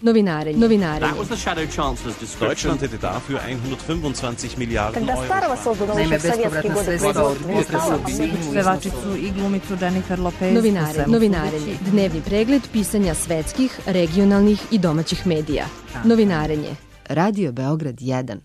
Novinarenje. That was the Shadow Chancellor's description. Deutschland hätte dafür 125 Milijarden Когда Старого создано еще в советские годы производства не стало, pevačicu i glumicu Jennifer Lopez. Novinarenje. Dnevni pregled pisanja svetskih, regionalnih i domaćih medija. Novinarenje. Radio Beograd 1.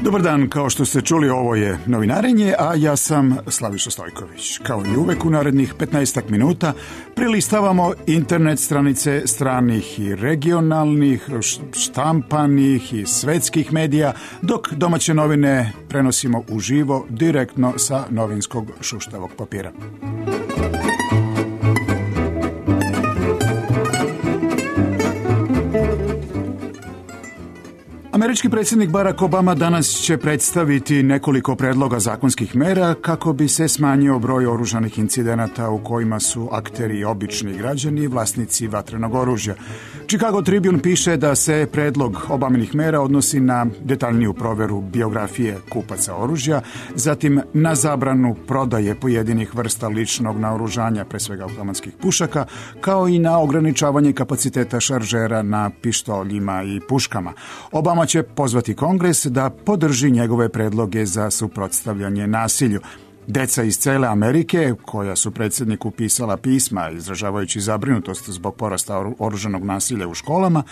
Dobar dan, kao što ste čuli, ovo je Novinarenje, a ja sam Slaviša Stojković. Kao i uvek u narednih 15 minuta prelistavamo internet stranice stranih i regionalnih, štampanih i svetskih medija, dok domaće novine prenosimo uživo direktno sa novinskog šuštavog papira. Američki predsjednik Barack Obama danas će predstaviti nekoliko predloga zakonskih mera kako bi se smanjio broj oružanih incidenata u kojima su akteri obični građani i vlasnici vatrenog oružja. Chicago Tribune piše da se predlog Obaminih mera odnosi na detaljniju proveru biografije kupaca oružja, zatim na zabranu prodaje pojedinih vrsta ličnog naoružanja, pre svega automatskih pušaka, kao i na ograničavanje kapaciteta šaržera na pištoljima i puškama. Obama će pozvati Kongres da podrži njegove predloge za suprotstavljanje nasilju. Deca iz cele Amerike, koja su predsjedniku pisala pisma izražavajući zabrinutost zbog porasta oružanog nasilja u školama,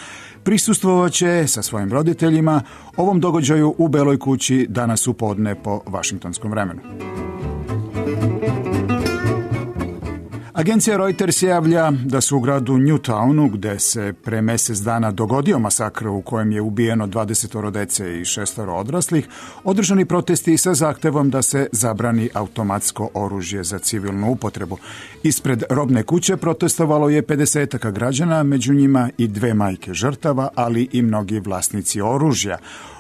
prisustvovaće sa svojim roditeljima ovom događaju u Beloj kući danas u podne po vašingtonskom vremenu. Agencija Reuters javlja da su u gradu Newtownu, gde se pre mesec dana dogodio masakr u kojem je ubijeno 20 dece i 6 odraslih, održani protesti sa zahtevom da se zabrani automatsko oružje za civilnu upotrebu. Ispred robne kuće protestovalo je 50 građana, među njima i 2 majke žrtava, ali i mnogi vlasnici oružja.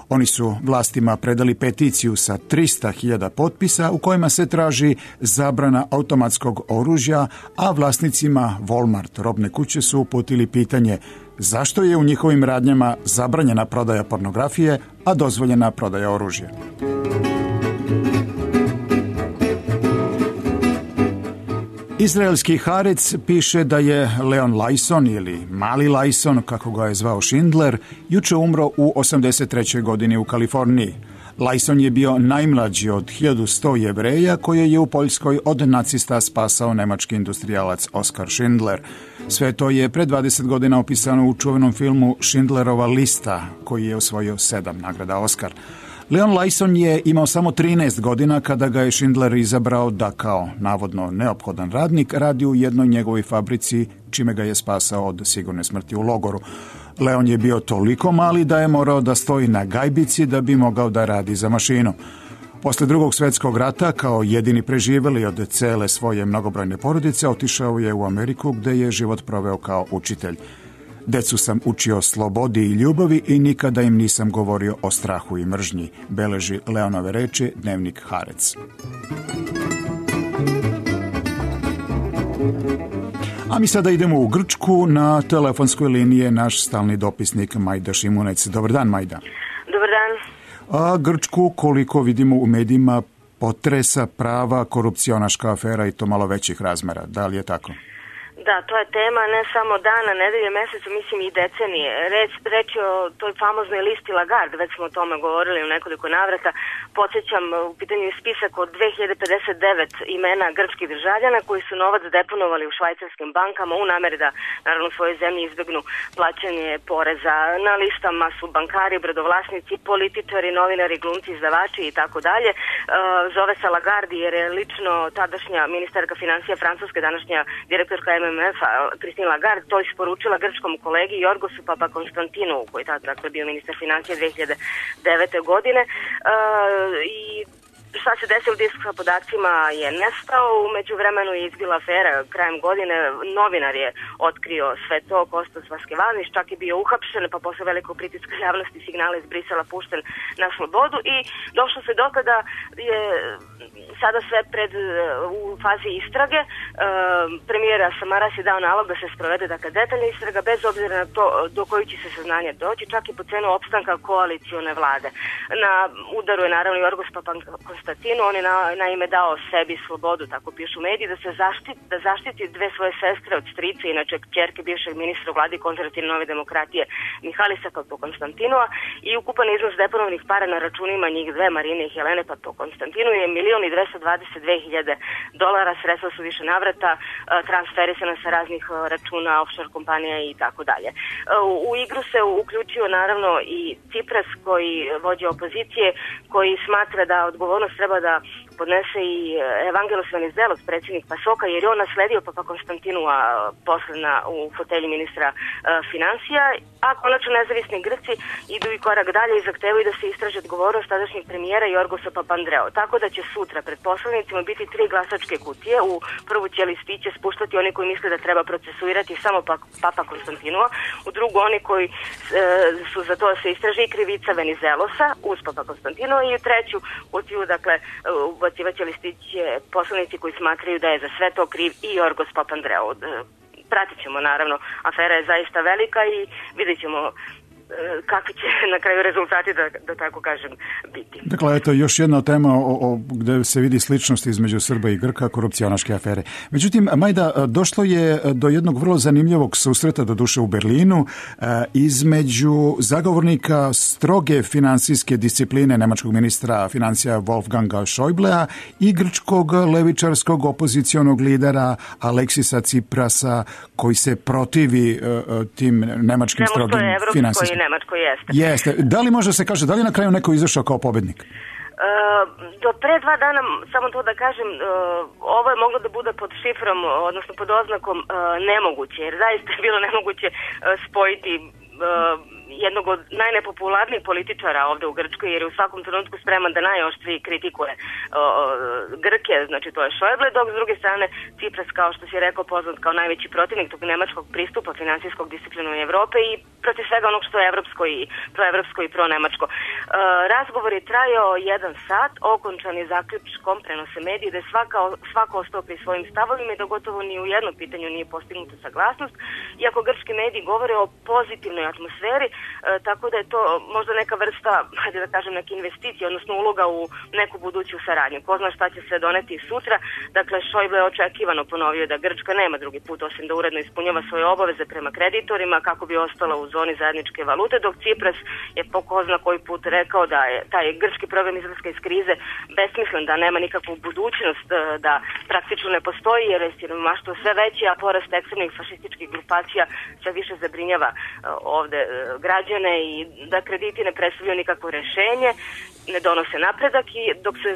Oni su vlastima predali peticiju sa 300.000 potpisa u kojima se traži zabrana automatskog oružja, a vlasnicima Walmart robne kuće su uputili pitanje zašto je u njihovim radnjama zabranjena prodaja pornografije, a dozvoljena prodaja oružja. Izraelski Haaretz piše da je Leon Lajson ili Mali Lajson, kako ga je zvao Schindler, juče umro u 83. godini u Kaliforniji. Lajson je bio najmlađi od 1100 Jevreja koje je u Poljskoj od nacista spasao nemački industrijalac Oskar Schindler. Sve to je pre 20 godina opisano u čuvenom filmu Schindlerova lista, koji je osvojio 7 nagrada Oskar. Leon Lajson je imao samo 13 godina kada ga je Schindler izabrao da kao navodno neophodan radnik radi u jednoj njegovoj fabrici, čime ga je spasao od sigurne smrti u logoru. Leon je bio toliko mali da je morao da stoji na gajbici da bi mogao da radi za mašinu. Posle Drugog svjetskog rata, kao jedini preživeli od cele svoje mnogobrojne porodice, otišao je u Ameriku gde je život proveo kao učitelj. Decu sam učio slobodi i ljubavi i nikada im nisam govorio o strahu i mržnji, beleži Leonove reči dnevnik Haaretz. A mi sada idemo u Grčku, na telefonskoj liniji je naš stalni dopisnik Majda Šimunec. Dobar dan, Majda. Dobar dan. A Grčku, koliko vidimo u medijima, potresa prava korupcionaška afera i to malo većih razmera. Da li je tako? Da, to je tema ne samo dana, nedelje, meseca, mislim i decenije. Reč je o toj famoznoj listi Lagarde, već smo o tome govorili u nekoliko navrata. Podsjećam, u pitanju je spisak od 2059 imena grčkih državljana koji su novac deponovali u švajcarskim bankama u nameri da, naravno, u svojoj zemlji izbegnu plaćanje poreza. Na listama su bankari, brodovlasnici, političari, novinari, glumci, izdavači i tako dalje. Zove se Lagarde jer je lično tadašnja ministarka financija Francuske, današnja direktorka MMF-a, Christine Lagarde, to isporučila grčkom kolegi Jorgosu Papakonstantinu, koji je tada bio ministar financija 2009. godine. I šta se desilo, disk sa podacima je nestao, u međuvremenu je izbila afera krajem godine, novinar je otkrio sve to, Kostas Vaskevanić, čak je bio uhapšen, pa posle velikog pritiska javnosti signala iz Brisela pušten na slobodu i došlo se do kada je sada sve u fazi istrage. Premijer Samaras je dao nalog da se sprovede detaljna istraga bez obzira na to do kojih će se saznanja doći, čak i po cenu opstanka koalicione vlade. Na udaru je naravno Jorgos Papakonstantinu, Konstantinu. On je naime dao sebi slobodu, tako pišu mediji, da zaštiti dve svoje sestre od strica, inače kćerke bivšeg ministra u vladi konzervativne nove demokratije Mihalisa Papakonstantinova, i ukupan iznos deponovnih para na računima njih dve, Marine i Helene Papakonstantinu, je $1.222.000, sredstva su više navrata, transferisana sa raznih računa, offshore kompanija i tako dalje. U igru se uključio naravno i Cipras, koji vođe opozicije, koji smatra da odgovornost treba da podnese i Evangelos Venizelos, predsjednik PASOK-a, jer je on nasledio Papakonstantinua posle u fotelji ministra finansija, a konačno nezavisni Grci idu i korak dalje i zahtevaju da se istraži odgovornost tadašnjeg premijera Jorgosa Papandreou. Tako da će sutra pred poslanicima biti 3 glasačke kutije. U prvu će listiće spuštati oni koji misle da treba procesuirati samo Papakonstantinua, u drugu oni koji su za to da se istraži i krivica Venizelosa uz Papakonstantinua, i u treću kutiju, dakle, ubacivaće listiće poslanici koji smatraju da je za sve to kriv i Jorgos Papandreou. Pratit ćemo, naravno, afera je zaista velika i vidjet ćemo kakvi će na kraju rezultati, da tako kažem, biti. Dakle, eto, još jedna tema gde se vidi sličnost između Srba i Grka, korupcionaške afere. Međutim, Majda, došlo je do jednog vrlo zanimljivog susreta, doduše u Berlinu, između zagovornika stroge finansijske discipline nemačkog ministra financija Wolfganga Schäublea i grčkog levičarskog opozicionog lidera Aleksisa Ciprasa, koji se protivi tim nemačkim strogim finansijskim. Nemačko jeste. Da li može se kaže, da li na kraju neko izašao kao pobednik? Do pre 2 dana, samo to da kažem, ovo je moglo da bude pod šifrom, odnosno pod oznakom nemoguće, jer zaista je bilo nemoguće spojiti jednog od najnepopularnijih političara ovde u Grčkoj, jer je u svakom trenutku spreman da najoštriji kritikuje Grke, znači to je Schäuble, dok s druge strane Cipras, kao što si rekao, poznat kao najveći protivnik tog nemačkog pristupa finansijskog disciplinovanju Evrope i protiv svega onog što je proevropsko i pronemačko. Razgovor je trajao 1 sat, okončan je zaključkom, prenose mediji, da je svako ostao pri svojim stavovima i da gotovo ni u jednom pitanju nije postignuta saglasnost, iako grčki mediji govore o pozitivnoj atmosferi, tako da je to možda neka vrsta, hajde da kažem, neke investicije, odnosno uloga u neku buduću saradnju. Ko zna šta će se doneti sutra. Dakle, Schäuble je očekivano ponovio da Grčka nema drugi put osim da uredno ispunjava svoje obaveze prema kreditorima kako bi ostala u zoni zajedničke valute, dok Cipras je po ko zna koji put rekao da je taj grčki program izlaska iz krize besmislen, da nema nikakvu budućnost, da praktično ne postoji, jer je siromaštvo sve veće, a porast ekstremnih fašističkih grupacija sve više zabrinjava ovde građane i da krediti ne predstavljaju nikakvo rešenje, ne donose napredak, i dok se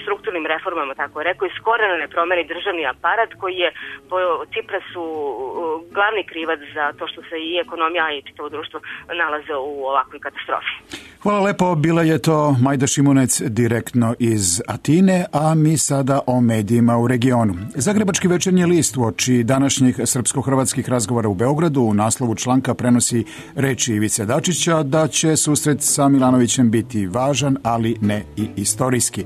strukturnim reformama, tako rekao, iz korena ne promeni državni aparat koji je po Ciprasu glavni krivac za to što se i ekonomija i čitavo društvo nalaze u ovakvoj katastrofi. Hvala lepo, bila je to Majda Šimunec direktno iz Atine, a mi sada o medijima u regionu. Zagrebački večernji list uoči današnjih srpsko-hrvatskih razgovora u Beogradu u naslovu članka prenosi reči Ivice Dačića da će susret sa Milanovićem biti važan, ali ne i istorijski.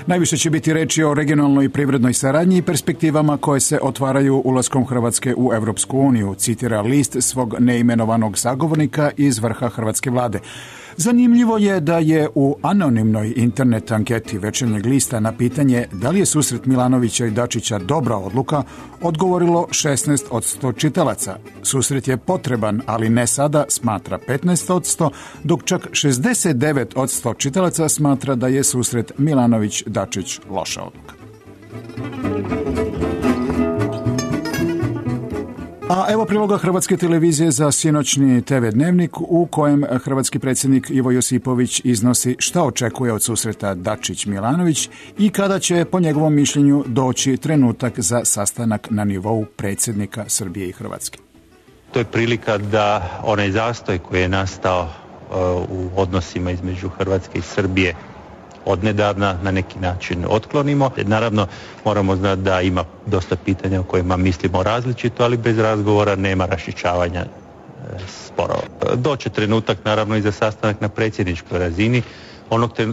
Najviše će biti reči o regionalnoj i privrednoj saradnji i perspektivama koje se otvaraju ulaskom Hrvatske u Evropsku uniju, citira list svog neimenovanog sagovornika iz vrha hrvatske vlade. Zanimljivo je da je u anonimnoj internet anketi Večernjeg lista na pitanje da li je susret Milanovića i Dačića dobra odluka odgovorilo 16% čitalaca. Susret je potreban, ali ne sada, smatra 15%, dok čak 69% čitalaca smatra da je susret Milanović-Dačić loša odluka. A evo priloga Hrvatske televizije za sinoćni TV dnevnik u kojem hrvatski predsjednik Ivo Josipović iznosi šta očekuje od susreta Dačić-Milanović i kada će po njegovom mišljenju doći trenutak za sastanak na nivou predsjednika Srbije i Hrvatske. To je prilika da onaj zastoj koji je nastao u odnosima između Hrvatske i Srbije odnedavna na neki način otklonimo. Naravno, moramo znati da ima dosta pitanja o kojima mislimo različito, ali bez razgovora nema raščišćavanja sporova. Doće trenutak, naravno, i za sastanak na predsjedničkoj razini.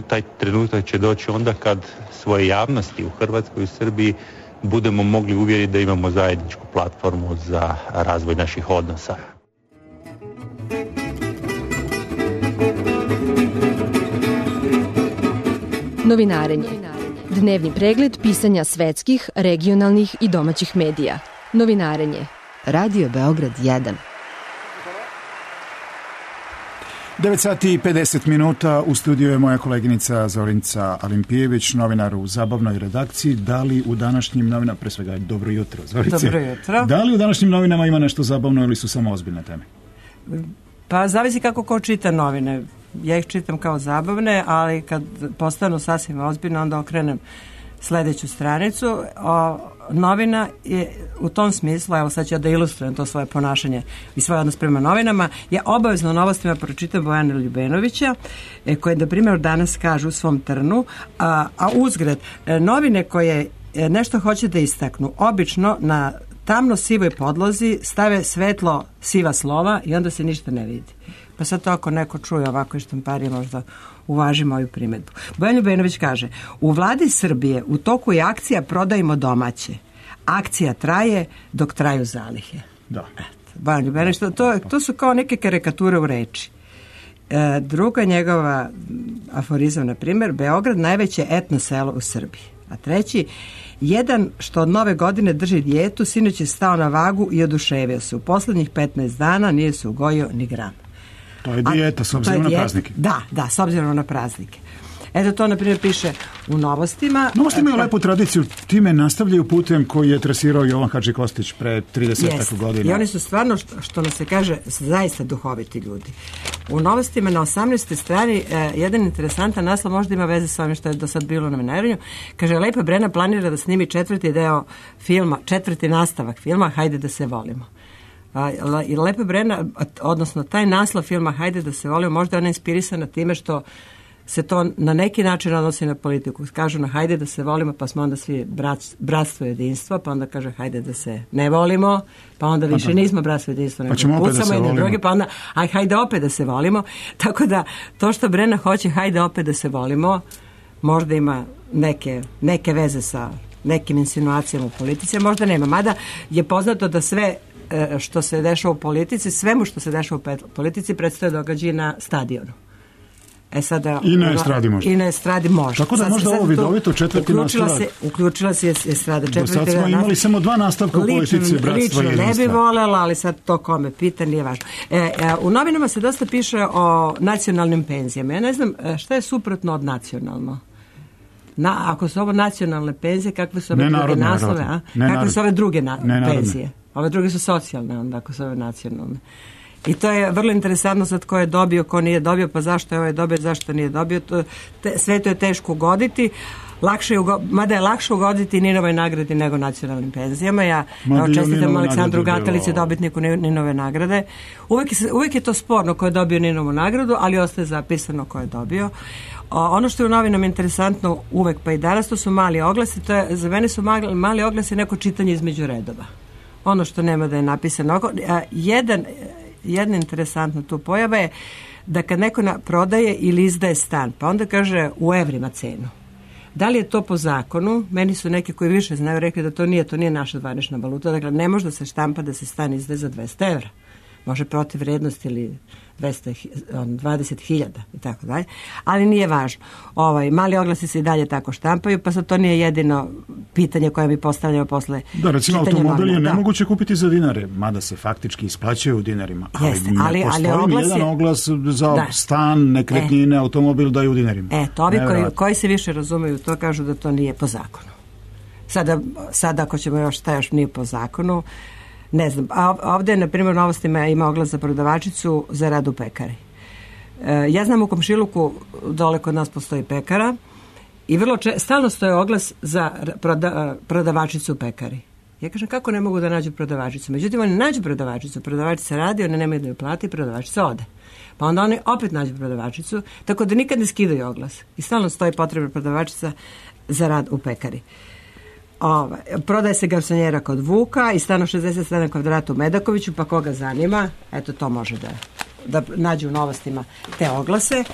Taj trenutak će doći onda kad svoje javnosti u Hrvatskoj i Srbiji budemo mogli uvjeriti da imamo zajedničku platformu za razvoj naših odnosa. Novinarenje. Dnevni pregled pisanja svetskih, regionalnih i domaćih medija. Novinarenje. Radio Beograd 1. 9 sati i 50 minuta, u studiju je moja koleginica Zorinca Alimpijević, novinar u zabavnoj redakciji. Da li u današnjim novinama, pre svega dobro jutro, Zorice. Dobro jutro. Da li u današnjim novinama ima nešto zabavno ili su samo ozbiljne teme? Pa zavisi kako ko čita novine. Ja ih čitam kao zabavne, ali kad postanu sasvim ozbiljne, onda okrenem sledeću stranicu. Novina je u tom smislu, evo sad ću ja da ilustrujem to svoje ponašanje i svoj odnos prema novinama, ja obavezno novostima pročitam Bojana Ljubenovića, koje, na primjer, danas kažu u svom trnu, a uzgred, novine koje nešto hoće da istaknu, obično na tamno sivoj podlozi stave svetlo siva slova i onda se ništa ne vidi. Pa sad to ako neko čuje ovako i štamparije, možda uvaži moju primedbu. Bojan Ljubenović kaže: u vladi Srbije u toku je akcija Prodajmo domaće. Akcija traje dok traju zalihe. Da. Bojan Ljubenović, to su kao neke karikature u reči. Druga njegova aforizam, na primjer, Beograd najveće etno selo u Srbiji. A treći, jedan što od nove godine drži dijetu, sinoć je stao na vagu i oduševio se. U poslednjih 15 dana nije se ugojio ni gram. To je dijeta, s obzirom na praznike. Da, s obzirom na praznike. Eto, to, na primjer, piše u Novostima. Novosti imaju lepu tradiciju, time nastavljaju putem koji je trasirao Jovan Hadži Kostić pre 30 godina. I oni su stvarno, što nas se kaže, zaista duhoviti ljudi. U Novostima na 18. strani jedan interesantan naslov, možda ima veze sa ovim što je do sad bilo na novinarenju. Kaže: Lepa Brena planira da snimi četvrti nastavak filma Hajde da se volimo. I Lepa Brena, odnosno taj naslov filma Hajde da se volimo, možda je ona inspirisana time što se to na neki način odnosi na politiku. Kažu na hajde da se volimo, pa smo onda svi bratstvo i jedinstvo, pa onda kaže hajde da se ne volimo, pa onda više nismo bratstvo i jedinstvo, nego pucamo jedne druge, pa onda hajde opet da se volimo. Tako da to što Brena hoće hajde opet da se volimo, možda ima neke veze sa nekim insinuacijama u politici, možda nema. Mada je poznato da sve što se dešava u politici, svemu što se dešava u politici predstavlja događaje na stadionu. Sada, I na estradi može. I na estradi može. Tako da možda ovo vidovito četvrti nastavak. Uključila se estrada. Do sad smo imali samo 2 nastavka u politici bratstva i jedinstva. Lično ne bi voljela, ali sad to kome pita, nije važno. U novinama se dosta piše o nacionalnim penzijama. Ja ne znam šta je suprotno od nacionalno. Ako su ovo nacionalne penzije, kakve su ove druge naslove? Kakve su ove druge penzije? Ove druge su socijalne, onda, ako su ove nacionalne. I to je vrlo interesantno sad ko je dobio, ko nije dobio, pa zašto je ovaj dobio, zašto nije dobio. Sve to je teško ugoditi. Mada je lakše ugoditi Ninovoj nagradi nego nacionalnim penzijama. Ja čestitam Aleksandru Gatalici, dobitniku Ninove nagrade. Uvijek je to sporno ko je dobio Ninovu nagradu, ali ostaje zapisano ko je dobio. Ono što je u novinama interesantno uvek, pa i danas, to su mali oglasi. Za mene su mali oglasi neko čitanje između redova. Ono što nema da je napisano. Jedna interesantna tu pojava je da kad neko prodaje ili izdaje stan, pa onda kaže u evrima cenu. Da li je to po zakonu? Meni su neki koji više znaju rekli da to nije naša zvanična valuta. Dakle, ne može da se štampa da se stan izdaje za 200 evra. Može protiv vrednosti ili 20.000 i tako dalje. Ali nije važno. Mali oglasi se i dalje tako štampaju, pa sad to nije jedino pitanje koje mi postavljamo posle čitanja novina. Recimo, automobil je nemoguće kupiti za dinare, mada se faktički isplaćaju u dinarima. Ali ne postoji jedan oglas za stan, nekretnine, automobil da je u dinarima. Ovi koji se više razumeju to kažu da to nije po zakonu. Sada ako ćemo šta još nije po zakonu, ne znam. A ovdje, na primjer, u Novostima ima oglas za prodavačicu za rad u pekari. Ja znam u Komšiluku dole kod nas postoji pekara i stalno stoji oglas za prodavačicu u pekari. Ja kažem, kako ne mogu da nađu prodavačicu? Međutim, oni nađu prodavačicu, prodavačica radi, one nemaju da ju plati, prodavačica ode. Pa onda oni opet nađu prodavačicu, tako da nikad ne skidaju oglas. I stalno stoji potrebna prodavačica za rad u pekari. Prodaje se garsonjera kod Vuka i stano 67 kvadrata u Medakoviću, pa koga zanima, eto to može da nađe u Novostima te oglase.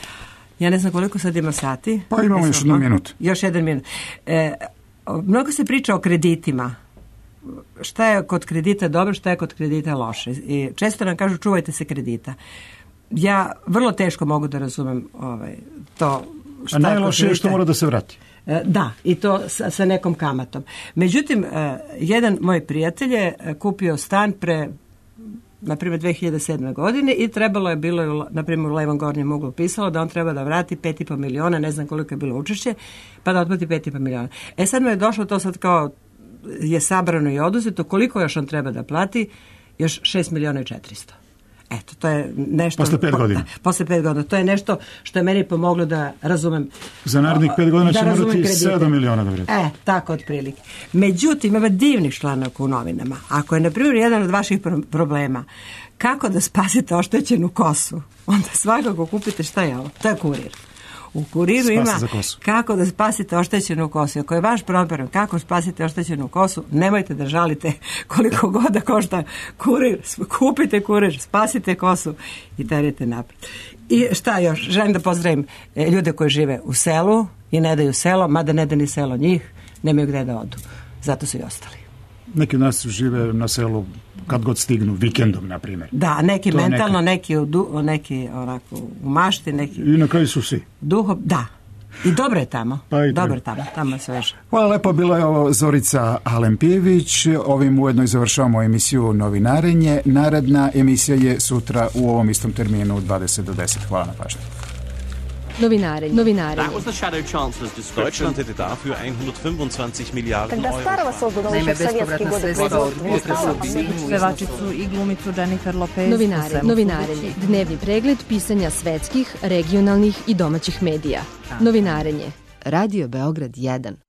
Ja ne znam koliko sad ima sati. Pa imamo još 1 minut. Još 1 minut. Mnogo se priča o kreditima. Šta je kod kredita dobro, šta je kod kredita loše. I često nam kažu čuvajte se kredita. Ja vrlo teško mogu da razumem to A najlošije je što mora da se vrati. Da, i to sa nekom kamatom. Međutim, jedan moj prijatelj je kupio stan na primjer 2007. godine i trebalo je bilo, na primjer u levom gornjem uglu pisalo da on treba da vrati 5,5 miliona, ne znam koliko je bilo učešće, pa da otplati 5,5 miliona. Sad mu je došlo to sad kao je sabrano i oduzeto, koliko još on treba da plati? Još 6 miliona i 400. Eto, to je nešto... Posle 5 godina. Posle 5 godina. To je nešto što je meni pomoglo da razumem... Za narednih 5 godina će morati 7 miliona da vrati. Tako otprilike. Međutim, ima divnih članaka u novinama. Ako je, na primjer, jedan od vaših problema kako da spasite oštećenu kosu, onda svakako kupite šta je ovo? To je Kurir. U Kuriru ima kako da spasite oštećenu kosu. Ako je vaš problem kako spasite oštećenu kosu, nemojte da žalite koliko god da košta Kurir. Kupite Kurir, spasite kosu i terite napred. I šta još? Želim da pozdravim ljude koji žive u selu i ne daju selo, mada ne da ni selo njih, nemaju gde da odu. Zato su i ostali. Neki od nas žive na selu kad god stignu, vikendom, na primjer. Da, neki mentalno, neki onako u mašti, neki... I na kraju su svi. Da. I dobro je tamo. Dobro je tamo je sveže. Hvala lepo, bila je ovo Zorica Alempijević. Ovim ujedno i završavamo emisiju Novinarenje. Naredna emisija je sutra u ovom istom terminu u 20 do 10. Hvala na pažnju. Novinare. That was the Shadow Chancellor's description. Deutschland hätte dafür 125 Milliarden Когда Euro. старого создано еще в советские годы производства. Pevačicu i glumicu Jennifer Lopez. Novinarenje. Dnevni pregled pisanja svetskih, regionalnih i domaćih medija. Novinarenje. Radio Beograd 1.